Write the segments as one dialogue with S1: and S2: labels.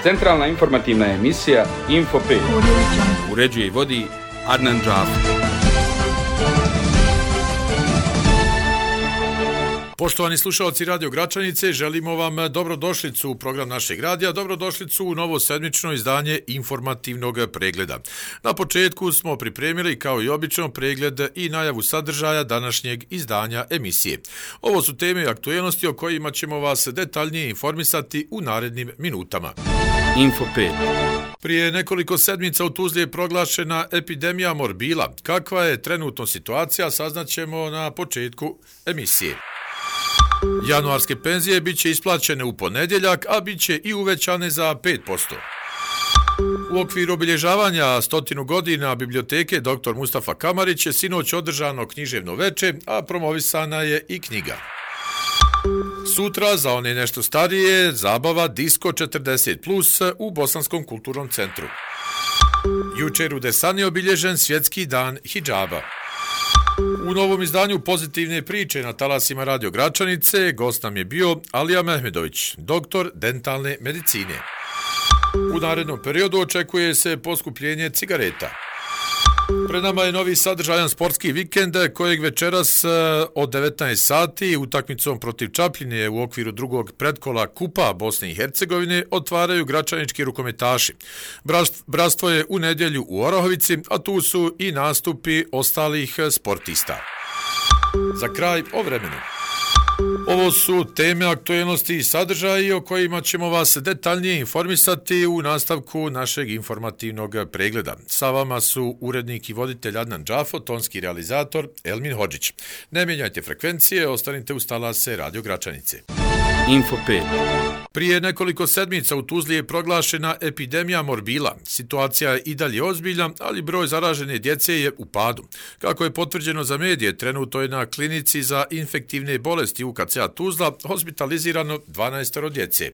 S1: Centralna informativna emisija Info 5.
S2: Uređuje i vodi Adnan Džafer. Poštovani slušalci Radio Gračanice, želimo vam dobrodošlicu u program našeg radija, dobrodošlicu u novo sedmično izdanje informativnog pregleda. Na početku smo pripremili kao i obično pregled i najavu sadržaja današnjeg izdanja emisije. Ovo su teme i aktuelnosti o kojima ćemo vas detaljnije informisati u narednim minutama.
S1: Info 5.
S2: Prije nekoliko sedmica u Tuzli je proglašena epidemija morbila. Kakva je trenutno situacija, saznaćemo na početku emisije. Januarske penzije bit će isplaćene u ponedjeljak, a bit će i uvećane za 5%. U okviru obilježavanja 100 godina biblioteke dr. Mustafa Kamarić je sinoć održano književno veče, a promovisana je i knjiga. Sutra, za one nešto starije, zabava Disko 40+ u Bosanskom kulturnom centru. Jučer u Desani je obilježen Svjetski dan hidžaba. U novom izdanju Pozitivne priče na talasima Radio Gračanice gost nam je bio Alija Mehmedović, doktor dentalne medicine. U narednom periodu očekuje se poskupljenje cigareta. Pred nama je novi sadržajan sportski vikend kojeg večeras od 19 sati utakmicom protiv Čapljine u okviru drugog predkola Kupa Bosne i Hercegovine otvaraju gračanički rukometaši. Bratstvo je u nedjelju u Orahovici, a tu su i nastupi ostalih sportista. Za kraj o vremenu. Ovo su teme, aktuelnosti i sadržaji o kojima ćemo vas detaljnije informisati u nastavku našeg informativnog pregleda. Sa vama su urednik i voditelj Adnan Džafo, tonski realizator Elmin Hodžić. Ne mijenjajte frekvencije, ostanite uz talase Radio Gračanice.
S1: Info 5.
S2: Prije nekoliko sedmica u Tuzli je proglašena epidemija morbila. Situacija je i dalje ozbiljna, ali broj zaražene djece je u padu. Kako je potvrđeno za medije, trenutno je na klinici za infektivne bolesti UKC-a Tuzla hospitalizirano 12 djece.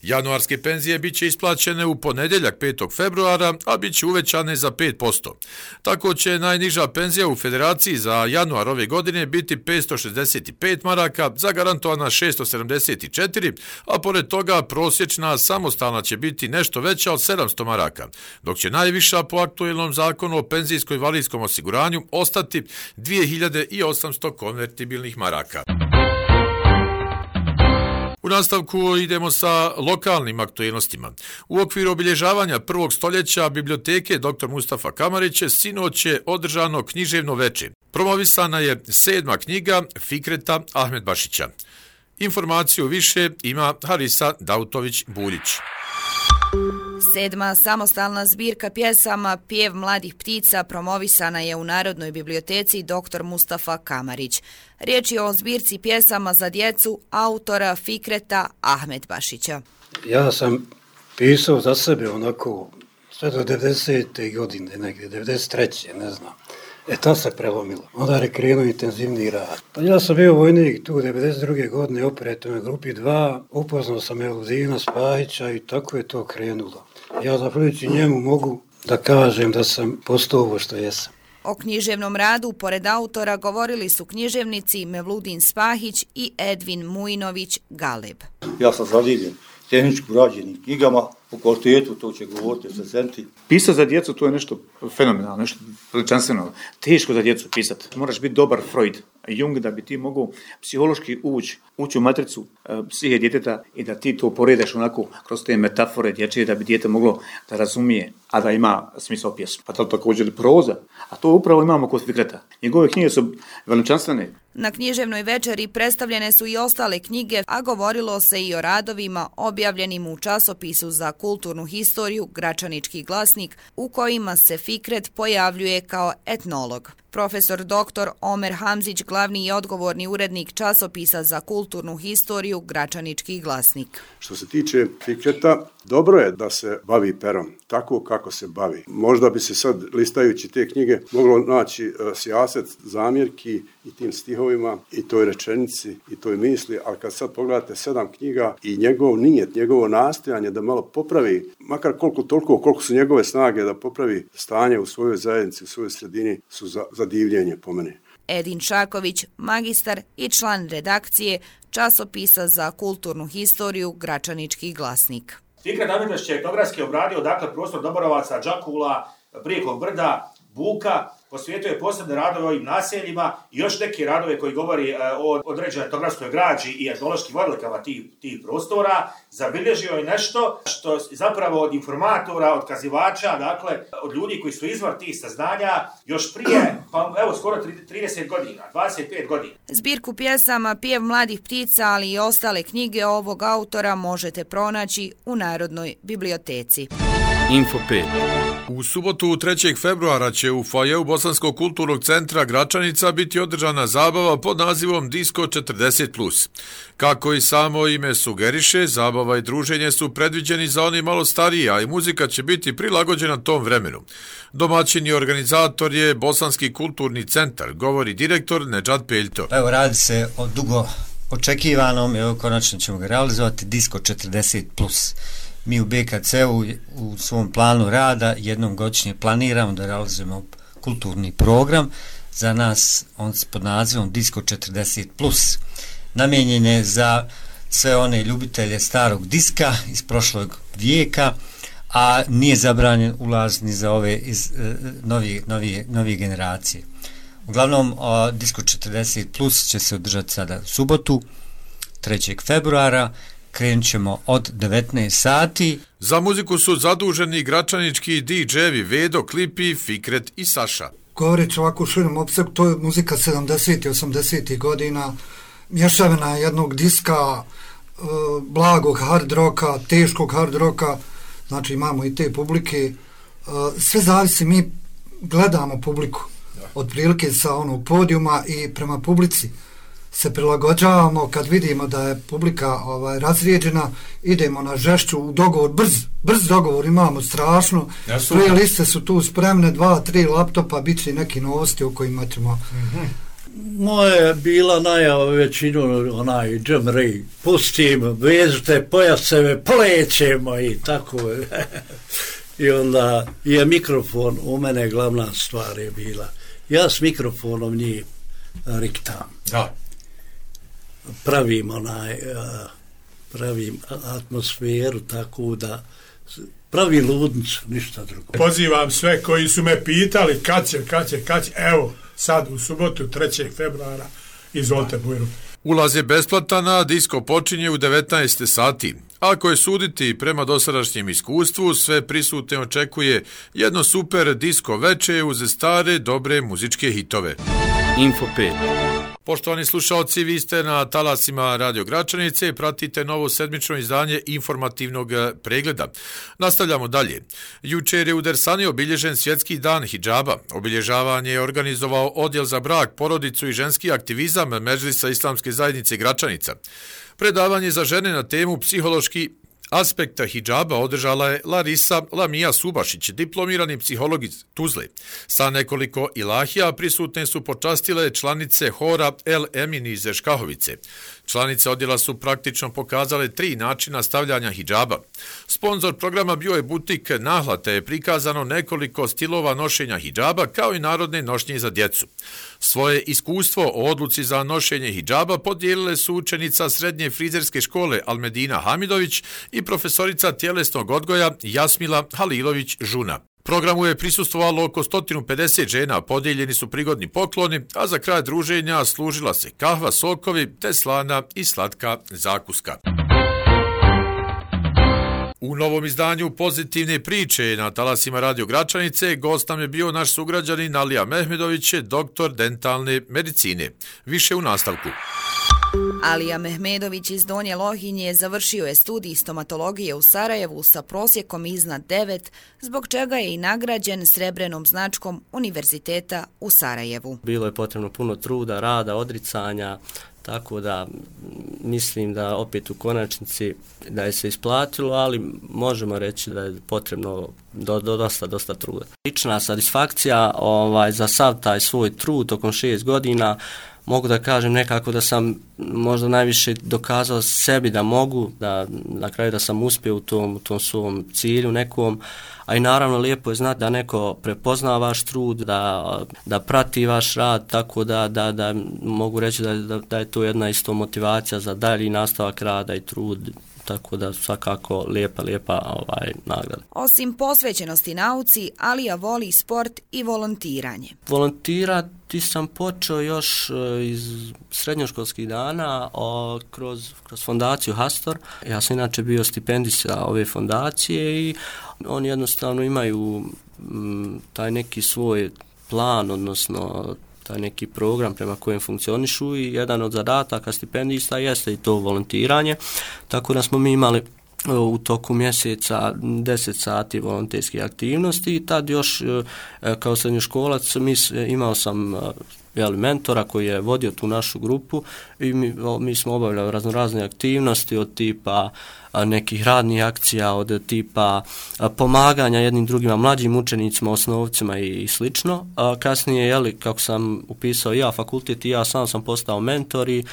S2: Januarske penzije bit će isplaćene u ponedjeljak 5. februara, a bit će uvećane za 5%. Tako će najniža penzija u Federaciji za januar ove godine biti 565 maraka, zagarantovana 674, a pored toga prosječna samostalna će biti nešto veća od 700 maraka, dok će najviša po aktuelnom zakonu o penzijsko-invalidskom osiguranju ostati 2800 konvertibilnih maraka. U nastavku idemo sa lokalnim aktuelnostima. U okviru obilježavanja prvog stoljeća biblioteke dr. Mustafa Kamarić sinoć je održano književno veče. Promovisana je 7. knjiga Fikreta Ahmedbašića. Informaciju više ima Harisa Dautović-Buljić.
S3: 7. samostalna zbirka pjesama Pjev mladih ptica promovisana je u Narodnoj biblioteci dr. Mustafa Kamarić. Riječ je o zbirci pjesama za djecu autora Fikreta Ahmedbašića.
S4: Ja sam pisao za sebe onako sve do 90. godine, negdje 93. ne znam. Tad se prelomilo. Onda je krenuo intenzivni rad. Pa ja sam bio vojnik tu 92. godine u operativnoj grupi 2, upoznao sam Eludina Spajića i tako je to krenulo. Ja zahvaljujući njemu mogu da kažem da sam postao ovo što jesam.
S3: O književnom radu, pored autora, govorili su književnici Mevludin Spahić i Edvin Mujinović Galeb.
S5: Ja sam zadivljen tehnički urađenim knjigama, po kvalitetu, to će govoriti recenzenti.
S6: Pisati za djecu, to je nešto fenomenalno, nešto veličanstveno. Teško za djecu pisati. Moraš biti dobar Freud, Jung, da bi ti mogao psihološki ući u matricu psihe djeteta i da ti to poredaš onako kroz te metafore dječje, da bi dijete moglo da razumije, a da ima smisao pjesmu. Pa to također proza, a to upravo imamo kod Fikreta. Njegove knjige su veličanstvene.
S3: Na književnoj večeri predstavljene su i ostale knjige, a govorilo se i o radovima objavljenim u časopisu za kulturnu historiju Gračanički glasnik, u kojima se Fikret pojavljuje kao etnolog. Profesor dr. Omer Hamzić, glavni i odgovorni urednik časopisa za kulturnu historiju Gračanički glasnik.
S7: Što se tiče Fikreta, dobro je da se bavi perom, tako kako se bavi. Možda bi se sad, listajući te knjige, moglo naći sijaset zamjerki i tim stihovima, i toj rečenici, i toj misli, ali kad sad pogledate 7 knjiga i njegov nijet, njegovo nastojanje da malo popravi, makar koliko su njegove snage da popravi stanje u svojoj zajednici, u svojoj sredini, su za divljenje po meni.
S3: Edin Šaković, magistar i član redakcije časopisa za kulturnu historiju Gračanički glasnik.
S8: Fikret Ahmetović je etnografski obradio prostor Doborovaca, Đakula, Brijekog brda, Buka, posvijetuje posebne radove o ovim naseljima i još neke radove koji govori o određenoj etnografskoj građi i etnološkim odlikama tih prostora. Zabilježio je nešto što zapravo od informatora, od kazivača, dakle od ljudi koji su izvor tih saznanja još prije, pa evo skoro 30 godina, 25 godina.
S3: Zbirku pjesama Pjev mladih ptica, ali i ostale knjige ovog autora možete pronaći u Narodnoj biblioteci.
S1: Info 5.
S2: U subotu 3. februara će u foajeu Bosanskog kulturnog centra Gračanica biti održana zabava pod nazivom Disco 40+. Kako i samo ime sugeriše, zabava i druženje su predviđeni za oni malo stariji, a i muzika će biti prilagođena tom vremenu. Domaćin i organizator je Bosanski kulturni centar, govori direktor Nedžad Peljto.
S9: Evo, radi se o dugo očekivanom, evo konačno ćemo ga realizovati, Disco 40+. Mi u BKC-u u svom planu rada jednom godišnje planiramo da realizujemo kulturni program. Za nas on pod nazivom Disco 40+. Namijenjen je za sve one ljubitelje starog diska iz prošlog vijeka, a nije zabranjen ulaz ni za ove iz novije generacije. Uglavnom, Disco 40+ će se održati sada subotu, 3. februara, krenut ćemo od 19 sati.
S2: Za muziku su zaduženi gračanički DJ-evi Vedo, Klipi, Fikret i Saša.
S10: Govoreći ovako u širom opsegu, to je muzika 70. i 80. godina, mješavina jednog diska, blagog hard roka, teškog hard roka, znači imamo i te publike. Sve zavisi, mi gledamo publiku, otprilike sa onog podijuma i prema publici se prilagođavamo. Kad vidimo da je publika razrijeđena, idemo na žešću, u dogovor, brz dogovor imamo strašno. Playliste su tu spremne, 2-3 laptopa, bit će neki novosti o kojima ćemo...
S11: Moja je bila najava većinu, onaj Jim Ray, pustim, vežite pojaseve, polećemo i tako. I onda je mikrofon, u mene glavna stvar je bila. Ja s mikrofonom njih riktam.
S2: Da.
S11: Pravim atmosferu tako da pravi ludnicu, ništa drugo.
S12: Pozivam sve koji su me pitali kad će, evo sad u subotu 3. februara, izvolite Bujru.
S2: Ulaz je besplatan, a disko počinje u 19 sati. Ako je suditi prema dosadašnjem iskustvu, sve prisutne očekuje jedno super disko veče uz stare, dobre muzičke hitove.
S1: Info 5.
S2: Poštovani slušalci, vi ste na talasima Radio Gračanice i pratite novo sedmično izdanje informativnog pregleda. Nastavljamo dalje. Jučer je u Dersani obilježen Svjetski dan hidžaba. Obilježavanje je organizovao Odjel za brak, porodicu i ženski aktivizam Medžlisa Islamske zajednice Gračanica. Predavanje za žene na temu psihološki aspekta hidžaba održala je Larisa Lamija Subašić, diplomirani psiholog iz Tuzle. Sa nekoliko ilahija prisutne su počastile članice hora El Emin iz Škahovice. Članice odjela su praktično pokazale 3 načina stavljanja hidžaba. Sponzor programa bio je butik Nahla, te je prikazano nekoliko stilova nošenja hidžaba kao i narodne nošnje za djecu. Svoje iskustvo o odluci za nošenje hidžaba podijelile su učenica srednje frizerske škole Almedina Hamidović i profesorica tjelesnog odgoja Jasmila Halilović-Žuna. Programu je prisustvovalo oko 150 žena, podijeljeni su prigodni pokloni, a za kraj druženja služila se kahva, sokovi, te slana i slatka zakuska. U novom izdanju Pozitivne priče na talasima Radio Gračanice gost nam je bio naš sugrađanin Alija Mehmedović, doktor dentalne medicine. Više u nastavku.
S3: Alija Mehmedović iz Donje Lohinje završio je studij stomatologije u Sarajevu sa prosjekom iznad 9, zbog čega je i nagrađen srebrenom značkom Univerziteta u Sarajevu.
S13: Bilo je potrebno puno truda, rada, odricanja, tako da mislim da opet u konačnici da je se isplatilo, ali možemo reći da je potrebno dosta truda. Lična satisfakcija za sav taj svoj trud tokom 6 godina mogu da kažem nekako da sam možda najviše dokazao sebi da mogu, da na kraju da sam uspio u tom svom cilju nekom, a i naravno lijepo je znati da neko prepozna vaš trud, da prati vaš rad, tako da mogu reći da je to jedna isto motivacija za dalji nastavak rada i trud, tako da svakako lijepa nagrada.
S3: Osim posvećenosti nauci, Alija voli sport i volontiranje.
S13: Volontirati sam počeo još iz srednjoškolskih dana kroz fondaciju Hastor. Ja sam inače bio stipendista ove fondacije i oni jednostavno imaju taj neki svoj plan, odnosno taj neki program prema kojem funkcionišu i jedan od zadataka stipendista jeste i to volontiranje, tako da smo mi imali u toku mjeseca 10 sati volonterske aktivnosti i tad još kao srednjoškolac imao sam mentora koji je vodio tu našu grupu i mi smo obavljali raznorazne aktivnosti od tipa nekih radnih akcija, od tipa pomaganja jednim drugima, mlađim učenicima, osnovcima i slično. Kasnije, kako sam upisao ja fakultet i ja sam postao mentor i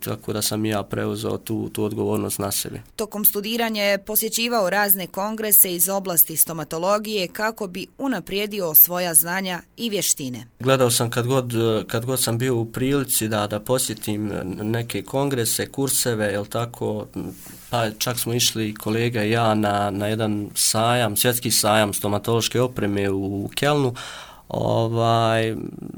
S13: tako da sam ja preuzeo tu odgovornost na sebi. Tokom studiranja je posjećivao razne kongrese iz oblasti stomatologije kako bi unaprijedio svoja znanja i vještine. Gledao sam kad god sam bio u prilici da posjetim neke kongrese, kurseve, pa čak smo išli kolega i ja na jedan sajam, svjetski sajam stomatološke opreme u Kelnu.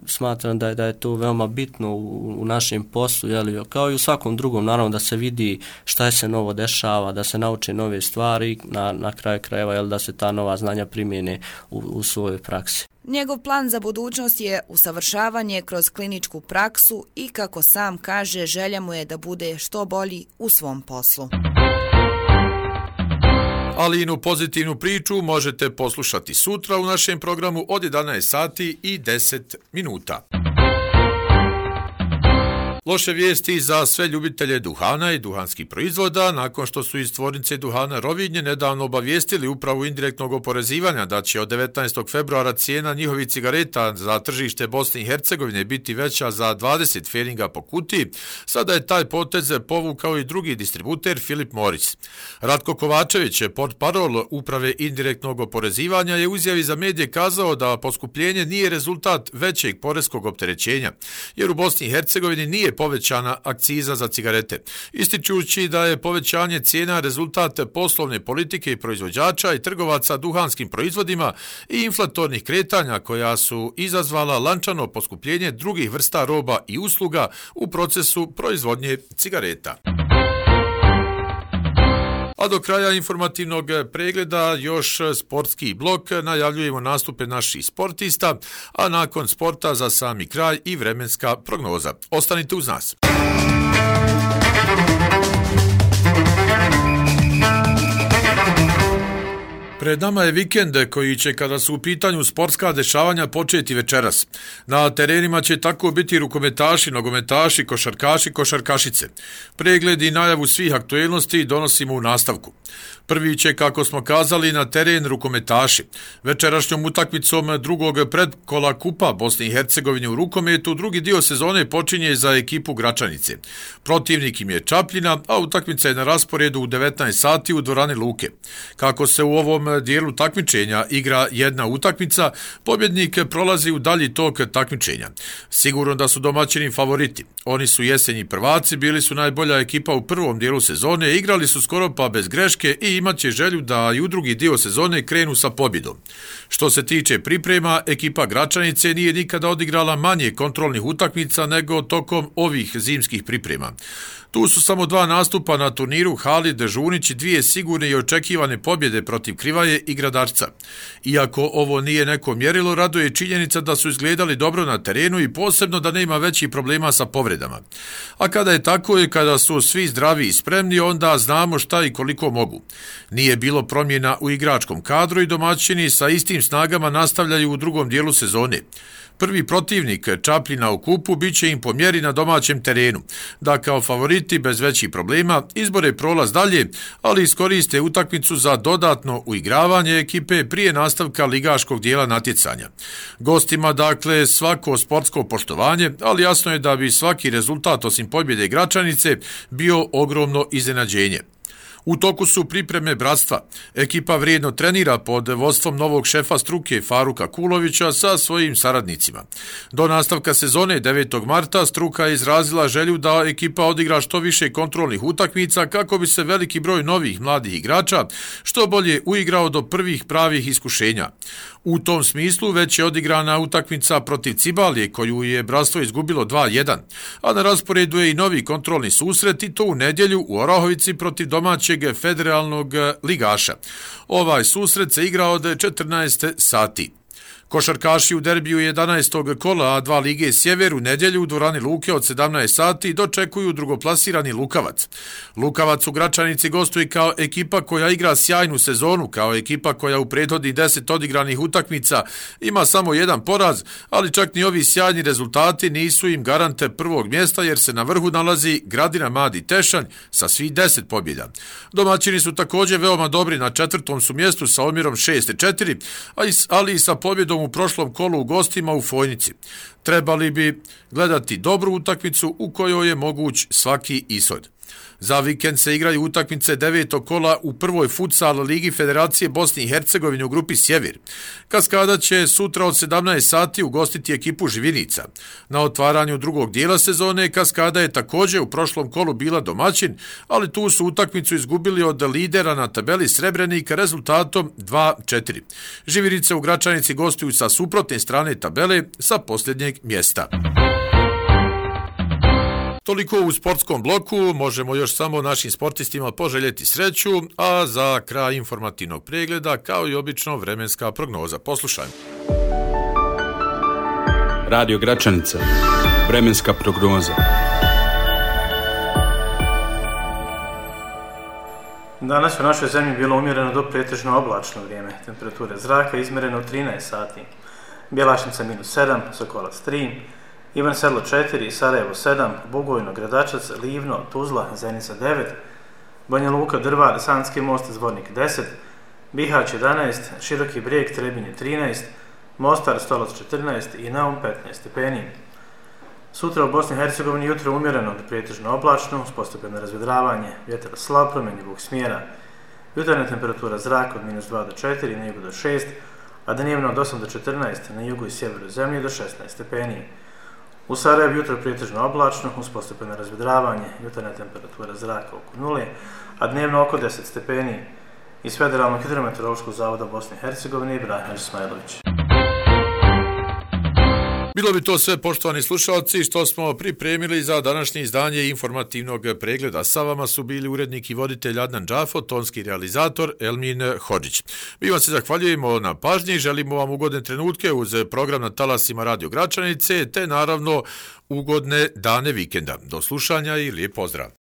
S13: Smatram da je to veoma bitno u našem poslu, kao i u svakom drugom, naravno da se vidi šta se novo dešava, da se nauče nove stvari, na kraju krajeva da se ta nova znanja primjene u svojoj praksi. Njegov plan za budućnost je usavršavanje kroz kliničku praksu i, kako sam kaže, želja mu je da bude što bolji u svom poslu.
S2: Alijinu pozitivnu priču možete poslušati sutra u našem programu od 11 sati i 10 minuta. Loše vijesti za sve ljubitelje duhana i duhanskih proizvoda, nakon što su iz tvornice duhana Rovinje nedavno obavijestili upravu indirektnog oporezivanja da će od 19. februara cijena njihovih cigareta za tržište Bosne i Hercegovine biti veća za 20 feninga po kutiji, sada je taj potez povukao i drugi distributer Philip Morris. Ratko Kovačević, portparol uprave indirektnog oporezivanja, je u izjavi za medije kazao da poskupljenje nije rezultat većeg poreskog opterećenja, jer u Bosni i Hercegovini nije povećana akciza za cigarete, ističući da je povećanje cijena rezultat poslovne politike i proizvođača i trgovaca duhanskim proizvodima i inflatornih kretanja koja su izazvala lančano poskupljenje drugih vrsta roba i usluga u procesu proizvodnje cigareta. A do kraja informativnog pregleda još sportski blok, najavljujemo nastupe naših sportista, a nakon sporta za sami kraj i vremenska prognoza. Ostanite uz nas. Pred nama je vikend koji će, kada su u pitanju sportska dešavanja, početi večeras. Na terenima će tako biti rukometaši, nogometaši, košarkaši, košarkašice. Pregled i najavu svih aktuelnosti donosimo u nastavku. Prvi će, kako smo kazali, na teren rukometaši. Večerašnjom utakmicom drugog predkola Kupa Bosne i Hercegovine u rukometu drugi dio sezone počinje za ekipu Gračanice. Protivnik im je Čapljina, a utakmica je na rasporedu u 19 sati u dvorani Luke. Kako se u ovom dijelu takmičenja igra jedna utakmica, pobjednik prolazi u dalji tok takmičenja. Sigurno da su domaćini favoriti. Oni su jesenji prvaci, bili su najbolja ekipa u prvom dijelu sezone, igrali su skoro pa bez greške i imat će želju da i u drugi dio sezone krenu sa pobjedom. Što se tiče priprema, ekipa Gračanice nije nikada odigrala manje kontrolnih utakmica nego tokom ovih zimskih priprema. Tu su samo 2 nastupa na turniru Halid Žunić i 2 sigurne i očekivane pobjede protiv Krivaje i Gradarca. Iako ovo nije neko mjerilo, raduje činjenica da su izgledali dobro na terenu i posebno da nema većih problema sa povredama. A kada je tako i kada su svi zdravi i spremni, onda znamo šta i koliko mogu. Nije bilo promjena u igračkom kadru i domaćini sa istim snagama nastavljaju u drugom dijelu sezone. Prvi protivnik Čapljina u kupu biće im po mjeri na domaćem terenu, da kao favoriti bez većih problema izbore prolaz dalje, ali iskoriste utakmicu za dodatno uigravanje ekipe prije nastavka ligaškog dijela natjecanja. Gostima dakle svako sportsko poštovanje, ali jasno je da bi svaki rezultat osim pobjede Gračanice bio ogromno iznenađenje. U toku su pripreme bratstva. Ekipa vrijedno trenira pod vodstvom novog šefa struke Faruka Kulovića sa svojim saradnicima. Do nastavka sezone 9. marta struka je izrazila želju da ekipa odigra što više kontrolnih utakmica kako bi se veliki broj novih mladih igrača što bolje uigrao do prvih pravih iskušenja. U tom smislu već je odigrana utakmica protiv Cibalije koju je bratstvo izgubilo 2-1, a na rasporedu je i novi kontrolni susret i to u nedjelju u Orahovici protiv domaćeg federalnog ligaša. Ovaj susret se igra od 14 sati. Košarkaši u derbiju 11. kola A2 Lige Sjever u nedjelju u dvorani Luke od 17 sati dočekuju drugoplasirani Lukavac. Lukavac u Gračanici gostuje kao ekipa koja igra sjajnu sezonu, kao ekipa koja u prethodnih 10 odigranih utakmica ima samo jedan poraz, ali čak ni ovi sjajni rezultati nisu im garante prvog mjesta jer se na vrhu nalazi Gradina Madi Tešanj sa svih 10 pobjeda. Domaćini su također veoma dobri, na 4. su mjestu sa omjerom 6-4, ali i sa pobjedom u prošlom kolu u gostima u Fojnici. Trebali bi gledati dobru utakmicu u kojoj je moguć svaki ishod. Za vikend se igraju utakmice 9. kola u prvoj futsal ligi Federacije Bosne i Hercegovine u grupi Sjever. Kaskada će sutra od 17 sati ugostiti ekipu Živinica. Na otvaranju drugog dijela sezone Kaskada je također u prošlom kolu bila domaćin, ali tu su utakmicu izgubili od lidera na tabeli Srebrenika rezultatom 2-4. Živinice u Gračanici gostuju sa suprotne strane tabele sa posljednjeg mjesta. Toliko u sportskom bloku, možemo još samo našim sportistima poželjeti sreću, a za kraj informativnog pregleda, kao i obično, vremenska prognoza. Poslušajmo.
S1: Radio Gračanica. Vremenska prognoza.
S14: Danas u našoj zemlji bilo umjereno do pretežno oblačno vrijeme. Temperature zraka izmjereno u 13 sati. Bjelašnica -7, Sokolac 3, Ivan Sedlo 4, Sarajevo 7, Bugojno, Gradačac, Livno, Tuzla, Zenica 9, Banja Luka, Drvar, Sanski most, Zvornik 10, Bihać 11, Široki Brijeg, Trebinje 13, Mostar, Stolac 14 i Naum 15 stepeni. Sutra u Bosni i Hercegovini jutro umjereno do pretežno oblačno, uz postepeno razvedravanje, vjetar slab promjenjivog smjera. Jutarnja temperatura zraka od -2 do 4, na jugu do 6, a dnevno od 8 do 14, na jugu i sjeveru zemlje do 16 stepeni. U Sarajevu jutro pretežno oblačno, uz postepeno razvedravanje, jutarnja temperatura zraka oko 0, a dnevno oko 10 stepeni. Iz Federalnog hidrometeorološkog zavoda Bosne i Hercegovine, Ibrahim Ismailović.
S2: Bilo bi to sve, poštovani slušalci, što smo pripremili za današnje izdanje informativnog pregleda. Sa vama su bili urednik i voditelj Adnan Džafo, tonski realizator Elmin Hodžić. Mi vam se zahvaljujemo na pažnji, želimo vam ugodne trenutke uz program na talasima Radio Gračanice, te naravno ugodne dane vikenda. Do slušanja i lijep pozdrav.